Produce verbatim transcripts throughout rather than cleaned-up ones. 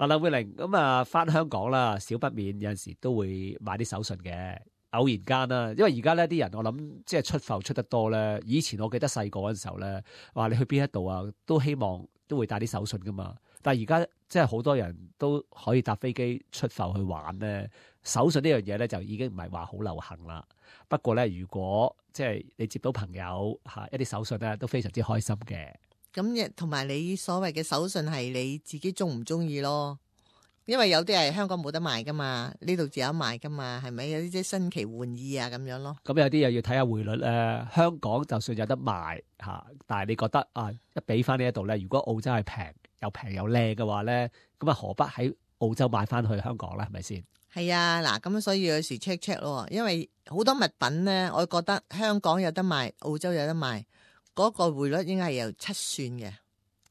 嗱，林慧玲咁啊，翻香港啦，少不免有陣時都會買啲手信嘅，偶然間啦。因為而家咧啲人，我諗即係出埠出得多咧。以前我記得細個嗰陣時候咧，話你去邊一度啊，都希望都會帶啲手信噶嘛。但係而家即係好多人都可以搭飛機出埠去玩咧，手信呢樣嘢咧就已經唔係話好流行啦。不過咧，如果即係你接到朋友嚇一啲手信咧，都非常之開心嘅。咁亦同埋你所謂嘅手信係你自己中唔中意咯？因為有啲係香港冇得賣噶嘛，呢度自有賣噶嘛，係咪有啲即係新奇玩意啊咁樣咯？咁有啲又要睇下匯率咧。香港就算有得賣嚇，但係你覺得啊，一俾翻呢一度咧，如果澳洲係平又平又靚嘅話咧，咁啊何不喺澳洲買翻去香港咧？係咪先？係啊，嗱咁所以有時 check check 咯，因為好多物品咧，我覺得香港有得賣，澳洲有得賣。嗰個匯率應該係由七算嘅，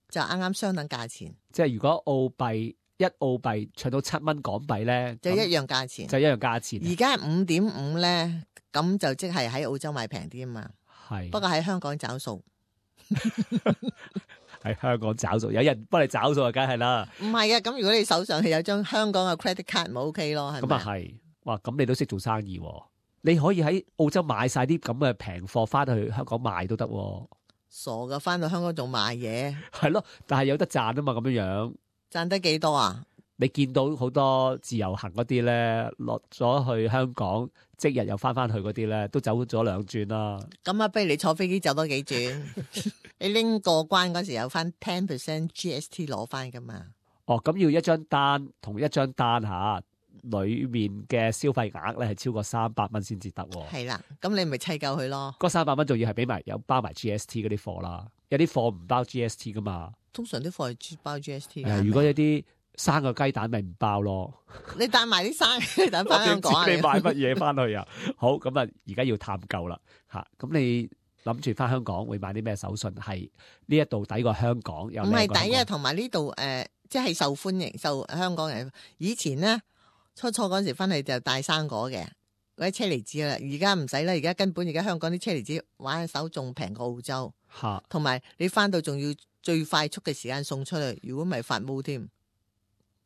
就啱啱相等價錢。即係如果澳幣一澳幣唱到七蚊港幣咧，就一樣價錢，就一樣價錢。而家五點五咧，咁就即係喺澳洲買平啲啊嘛。係，不過喺香港找數，喺香港找數，有人幫你找數啊，梗係啦。唔係啊，咁如果你手上係有張香港嘅 credit card，咪 OK 咯，係咪？咁啊係，哇！咁你都識做生意喎。你可以喺澳洲買晒啲咁嘅平貨翻去香港賣都得喎。傻噶，翻到香港仲賣嘢，係咯，但係有得賺啊嘛，咁樣樣賺得幾多啊？你見到好多自由行嗰啲咧，落咗去香港，即日又翻翻去嗰啲咧，都走咗兩轉啦。咁啊，不如你坐飛機走多幾轉，你拎過關嗰時有翻 ten percent G S T 攞翻噶嘛？哦，咁要一張單同一張單嚇，裏面嘅消費額咧係超過三百蚊先至得喎。係啦，咁你咪砌夠佢咯。嗰三百蚊仲要係俾埋有包埋 G S T 嗰啲貨啦，有啲貨唔包 G S T 噶嘛。通常啲貨係包 G S T 誒，如果有啲生個雞蛋咪唔包咯。你帶埋啲生雞蛋翻香港啊？你買乜嘢翻去啊？好，咁啊，而家要探究啦嚇。咁你諗住翻香港會買啲咩手信？係呢一度抵過香港，又唔係抵啊，同埋呢度誒，即係受歡迎，受香港人。以前咧初初嗰陣時翻去就帶生果嘅嗰啲車厘子啦，而家唔使啦，而家根本而家香港啲車厘子玩手仲平過澳洲嚇，同埋你翻到仲要最快速嘅時間送出去，如果唔係發毛添。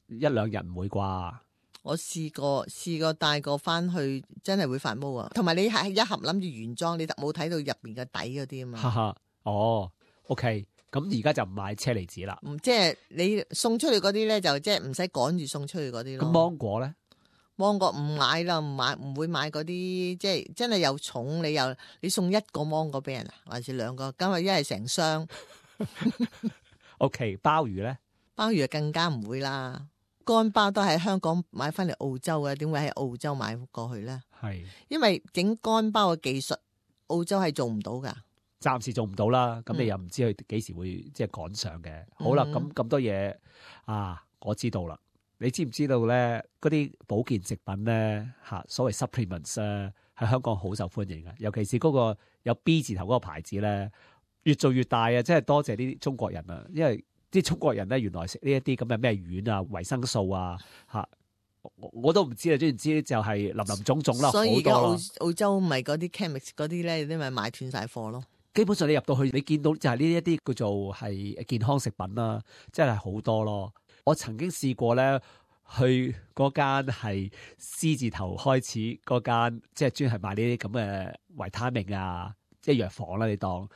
一兩日唔會啩？我試過試過帶過翻去，真係會發毛啊！同埋你係一盒諗住原裝，你冇睇到入邊嘅底嗰啲啊嘛。哈哈，哦 ，OK，咁而家就唔買車厘子啦。唔即係你送出去嗰啲咧，就即係唔使趕住送出去嗰啲咯。咁芒果咧？芒果唔買啦，唔買唔會買嗰啲，即係真係又重，你又你送一個芒果俾人啊，還是兩個？咁啊，一係成箱。OK， 鮑魚咧？鮑魚更加唔會啦。乾鮑都喺香港買翻嚟澳洲嘅，點會喺澳洲買過去咧？係，因為整乾鮑嘅技術，澳洲係做唔到噶。暫時做唔到啦。咁你又唔知佢幾時會即係趕上嘅。嗯、好啦，咁咁多嘢啊，我知道啦。你知唔知道咧？嗰啲保健食品咧，嚇所謂 supplements 咧，喺香港好受歡迎嘅。尤其是嗰個有 B 字頭嗰個牌子咧，越做越大啊！真係多謝呢啲中國人啊，因為啲中國人咧，原來食呢一啲咁嘅咩丸啊、維生素啊，嚇我，我都唔知啊。總言之就係林林總總啦，所以而家澳澳澳洲咪嗰啲 chemist 嗰啲咧，啲咪買斷晒貨咯。基本上你入到去，你見到就係呢一啲叫做係健康食品啦，真係好多咯。我曾經試過咧，去嗰間係 C 字頭開始嗰間，即係專係賣呢啲咁嘅維他命啊，即係藥房啦，你當。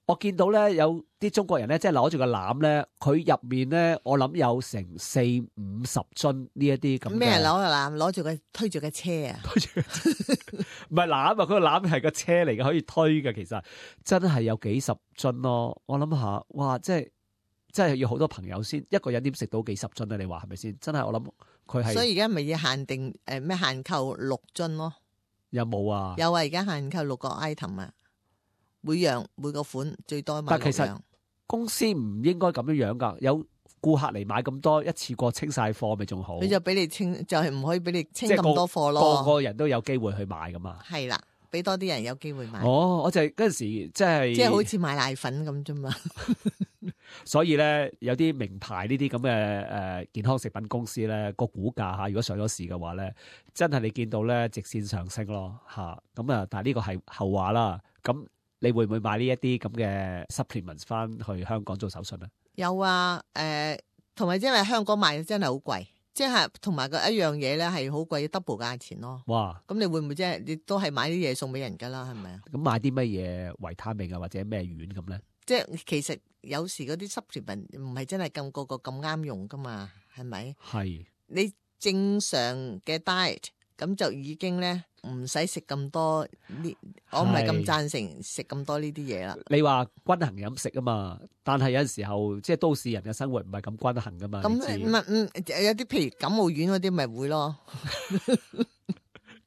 我見到咧有啲中國人咧，即係攞住個籃咧，佢入面咧，我諗有成四五十樽呢一啲咁。咩攞個籃？攞住個推住個車啊？推住唔係籃啊，佢個籃係個車嚟嘅，可以推嘅。其實真係有幾十樽咯。我諗下，哇！即係真係要好多朋友先，一個人點食到幾十樽咧？你話係咪先？真係我諗佢係。所以而家咪要限定誒咩、呃、限購六樽咯？有冇啊？有啊！而家限購六個 item 啊！每樣每個款最多買六樣。但其實公司唔應該咁樣樣噶，有顧客嚟買咁多，一次過清晒貨咪仲好。佢就俾你清，就係、是、唔可以俾你清咁個多貨咯。個個人都有機會去買噶嘛。係啦，俾多啲人有機會買。哦，我就係嗰陣時即係即係好似買奶粉咁啫嘛。所以咧，有啲名牌呢啲咁嘅誒健康食品公司咧，個股價嚇，如果上咗市嘅話咧，真係你見到咧直線上升咯嚇。咁啊，但係呢個係後話啦。咁你會唔會買呢一啲咁嘅 supplements 翻去香港做手信咧？有啊，誒、呃，同埋因為香港賣真係好貴，即係同埋個一樣嘢咧係好貴 double 價錢咯。哇！咁你會唔會即係你都係買啲嘢送俾人㗎啦？係咪啊？咁買啲乜嘢維他命啊，或者咩丸咁咧？即係其實有時嗰啲 supplement 唔係真係咁個個咁啱用㗎嘛，係咪？係你正常嘅 diet 咁就已經咧唔使食咁多呢，我唔係咁贊成食咁多呢啲嘢啦。你話均衡飲食啊嘛，但係有陣時候即係都市人嘅生活唔係咁均衡噶嘛。咁唔係嗯有啲譬如感冒丸嗰啲咪會咯。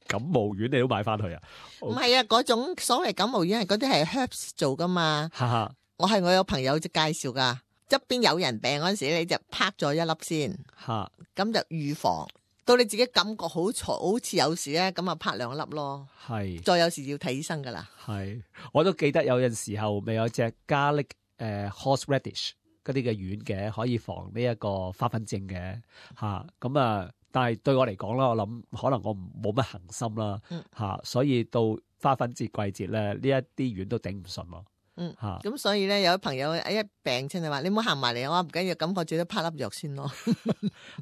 感冒丸你都買翻去啊？唔係啊，嗰種所謂感冒丸係嗰啲係 herbs 做噶嘛。哈哈，我係我有朋友就介紹噶，側邊有人病嗰陣時，你就拍咗一粒先，嚇咁就預防。到你自己感覺好嘈，好似有事咧，咁啊拍兩粒咯。係，再有時要睇醫生噶啦。係，我都記得有陣時候咪有隻 garlic 誒 horseradish 嗰啲嘅丸嘅，可以防呢一個花粉症嘅嚇。咁啊，但係對我嚟講啦，我諗可能我冇乜恒心啦嚇，嗯、所以到花粉節季節咧，呢一啲丸都頂唔順咯。嗯嚇，咁所以咧，有啲朋友一病親就話：你唔好行埋嚟，我唔緊要，感覺最多拍粒藥先咯。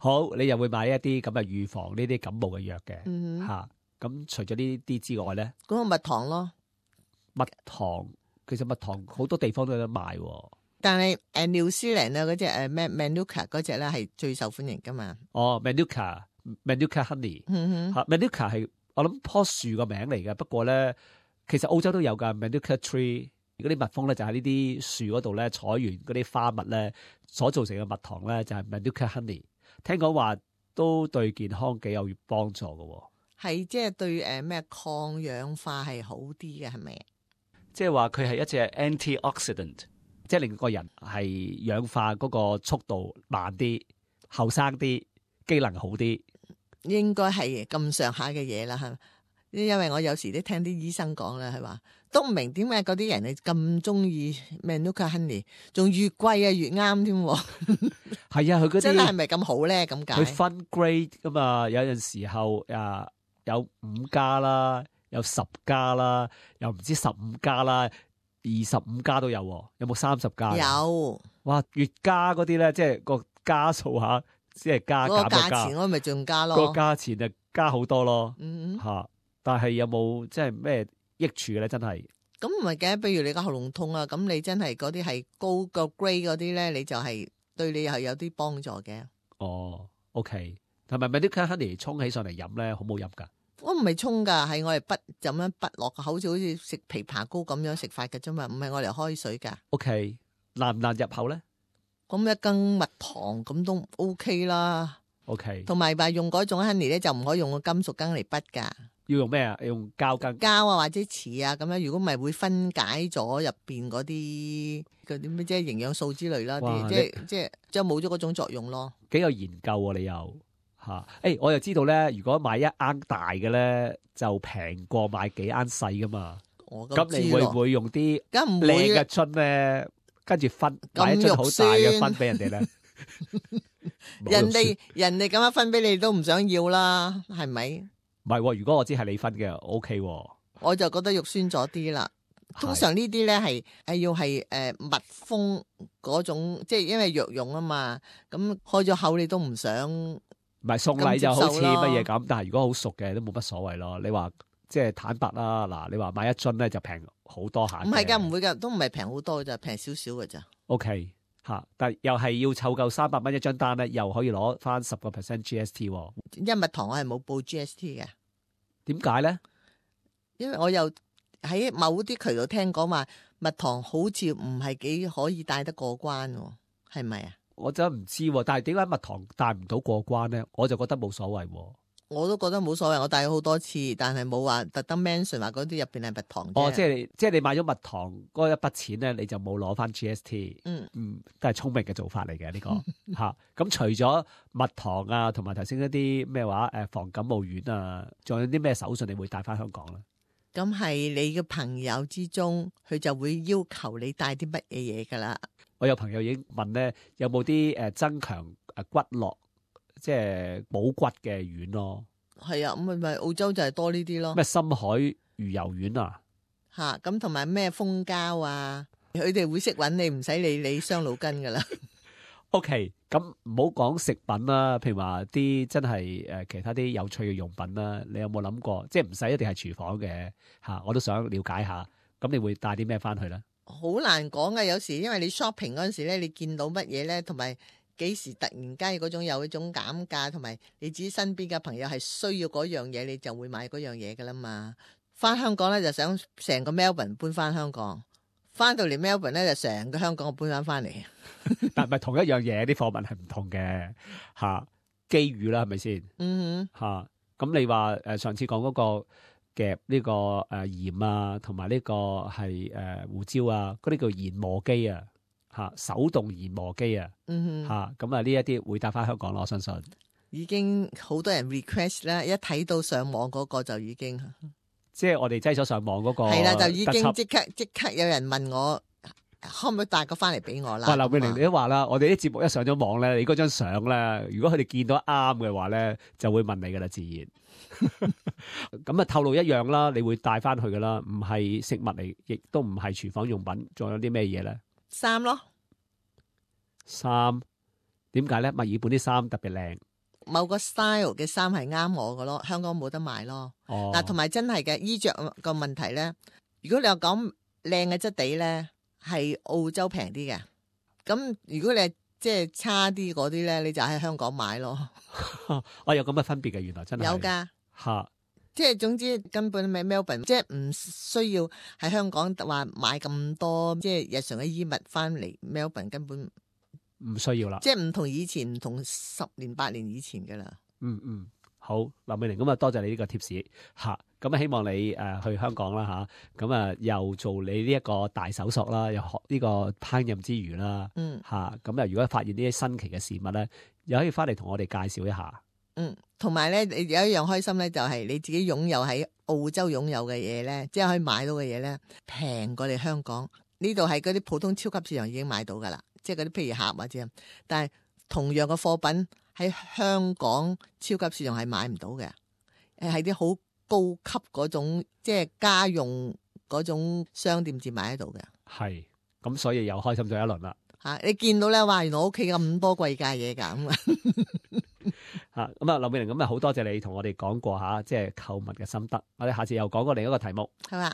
好，你又會買一啲咁嘅預防呢啲感冒嘅藥嘅嚇。咁、嗯啊、除咗呢啲之外咧，嗰個蜜糖咯，蜜糖其實蜜糖好多地方都有得賣喎。但係誒 New Zealand 啊嗰隻誒咩 Manuka 嗰隻咧係最受歡迎噶嘛。哦 Manuka Manuka Honey 嗯哼嚇 Manuka 係我諗棵樹個名嚟嘅，不過咧其實澳洲都有㗎 Manuka Tree。嗰啲蜜蜂咧就喺呢啲樹嗰度咧採完嗰啲花蜜咧所造成嘅蜜糖咧就係 Manuka Honey， 聽講話都對健康幾有幫助嘅。係即係對誒咩抗氧化係好啲嘅係咪？即係話佢係一隻 antioxidant， 即係令個人係氧化嗰個速度慢啲、後生啲、機能好啲。應該係咁上下嘅嘢啦，係咪？因為我有時都聽啲醫生講啦，係話都唔明點解嗰啲人係咁中意 Manuka Honey， 仲越貴啊越啱添。係啊，佢嗰啲真係係咪咁好咧？咁解佢分 grade 噶嘛，有陣時候啊有五加啦，有十加啦，又唔知十五加啦，二十五加都有，有冇三十加？有。哇，越加嗰啲咧，即係個加數下，即係加減嗰個價嘅加，錢我咪仲加咯。個價錢就加好多咯。嗯吓、啊，但係有冇即係咩益處咧？真係咁唔係嘅，譬如你個喉嚨痛啊，咁你真係嗰啲係高個 grade 嗰啲咧，你就係對你係有啲幫助嘅。哦，OK，同埋 Manuka Honey 沖起上嚟飲咧，好冇飲噶？我唔係沖噶，係我哋筆就咁樣筆落個口，好似好似食枇杷膏咁樣食法嘅啫嘛，唔係我嚟開水噶。OK，難唔難入口咧咁一羹蜜糖咁都 OK 啦。 ？OK，同埋話用嗰種 honey 咧，就唔可以用個金屬羹嚟筆噶，要用咩啊？要用膠羹。膠啊或者瓷啊咁樣，如果唔係會分解咗入邊嗰啲嗰啲咩即係營養素之類啦，哇啲即係即係即係冇咗嗰種作用咯。幾有研究喎、啊，你又嚇？誒、欸，我又知道咧，如果買一罌大嘅咧，就平過買幾罌細噶嘛。我咁你會唔會用啲梗唔會靚嘅樽咧，跟住分買一樽好大嘅分俾人哋咧？人哋人哋咁樣分俾你都唔想要啦，係咪？唔係喎，如果我知係你分嘅，O K 喎。我就覺得肉酸咗啲啦。通常呢啲咧係係要係誒、呃、蜜蜂嗰種，即係因為藥用啊嘛。咁開咗口你都唔想。唔係送禮就好似乜嘢咁，但係如果好熟嘅都冇乜所謂咯。你話即係坦白啦，嗱，你話買一樽咧就平好多下。唔係㗎，唔會㗎，都唔係平好多咋，平少少㗎咋。O K 嚇，但係又係要湊夠三百蚊一張單咧，又可以攞翻十個 percent G S T 喎。因為蜜糖我係冇報 G S T 嘅。點解咧？因為我又喺某啲渠道聽講話蜜糖好似唔係幾可以帶得過關喎，係咪啊？我真係唔知喎，但係點解蜜糖帶唔到過關咧？我就覺得冇所謂喎。我都覺得冇所謂，我帶咗好多次，但係冇話特登 mention 話嗰啲入邊係蜜糖啫。哦，即係即係你買咗蜜糖嗰一筆錢咧，你就冇攞翻 G S T。嗯嗯，都係聰明嘅做法嚟嘅呢個嚇。咁、啊、除咗蜜糖啊，同埋頭先嗰啲咩話誒防感冒丸啊，仲有啲咩手信你會帶翻香港咧？咁係你嘅朋友之中，佢就會要求你帶啲乜嘢嘢噶啦。我有朋友已經問咧，有冇啲誒增強誒骨骼，即係補骨嘅丸咯？係啊，咁咪咪澳洲就係多呢啲咯。咩深海魚油丸啊？嚇，咁同埋咩蜂膠啊？佢哋會識揾你，唔使理你傷腦筋噶啦。OK，咁唔好講食品啦，譬如話啲真係誒其他啲有趣嘅用品啦，你有冇諗過？即係唔使一定係廚房嘅嚇，我都想了解下。咁你會帶啲咩翻去咧？好難講嘅，有時因為你 shopping 嗰陣時咧，你見到乜嘢咧，同埋幾時突然間嗰種有一種減價，同埋你自己身邊嘅朋友係需要嗰樣嘢，你就會買嗰樣嘢噶啦嘛。翻香港咧就想成個 Melbourne 搬翻香港。翻到嚟 Melbourne 咧，就成個香港我搬翻翻嚟。但係同一樣嘢，啲貨品係唔同嘅嚇，機遇啦，係咪先？嗯哼嚇。咁你話誒上次講嗰個夾呢個誒鹽啊，同埋呢個係誒胡椒啊，嗰啲叫研磨機啊嚇，手動研磨機啊嗯哼嚇。咁啊呢一啲會帶翻香港咯，我相信。已經好多人 request 啦，一睇到上網嗰個就已經。即係我哋擠咗上網嗰個係啦，就已經特輯即刻即刻有人問我可唔可以帶個翻嚟俾我啦。哇！劉美玲咁啊你都話啦，我哋啲節目一上咗網咧，你嗰張相咧，如果佢哋見到啱嘅話咧，就會問你噶啦，自然。咁啊，透露一樣啦，你會帶翻去噶啦，唔係食物嚟，亦都唔係廚房用品，仲有啲咩嘢咧？衫咯，衫點解咧？墨爾本啲衫特別靚。某個 style 嘅衫係啱我嘅咯，香港冇得賣咯。哦，嗱，同埋真係嘅衣着個問題咧，如果你話講靚嘅質地咧，係澳洲平啲嘅。咁如果你係即係差啲嗰啲咧，你就喺香港買咯。我有咁嘅分別嘅，原來真係有㗎，嚇。即係總之根本咪 Melbourne，即係唔需要喺香港話買咁多即係日常嘅衣物翻嚟 Melbourne，根本唔需要啦。即係唔同以前，唔同十年八年以前㗎啦。嗯嗯，好，劉美玲咁啊，多謝你呢個貼士嚇。咁啊，希望你誒、呃、去香港啦嚇。咁啊，又做你呢一個大手索啦，又學呢個烹飪之餘啦嗯嚇。咁啊，如果發現呢啲新奇嘅事物咧，又可以翻嚟同我哋介紹一下。嗯，同埋咧，你有一樣開心咧，就係你自己擁有喺澳洲擁有嘅嘢咧，即係可以買到嘅嘢咧，平過你香港呢度係嗰啲普通超級市場已經買到噶啦，即係嗰啲譬如盒或者，但係同樣嘅貨品喺香港超級市場係買唔到嘅，誒係啲好高級嗰種，即係家用嗰種商店至買得到嘅。係，咁所以又開心咗一輪啦。吓、啊，你見到咧，話原來我屋企咁多貴價嘢㗎咁啊！嚇咁啊，劉美玲咁啊，好多謝你同我哋講過嚇，即係購物嘅心得。我哋下次又講過另一個題目。係嘛？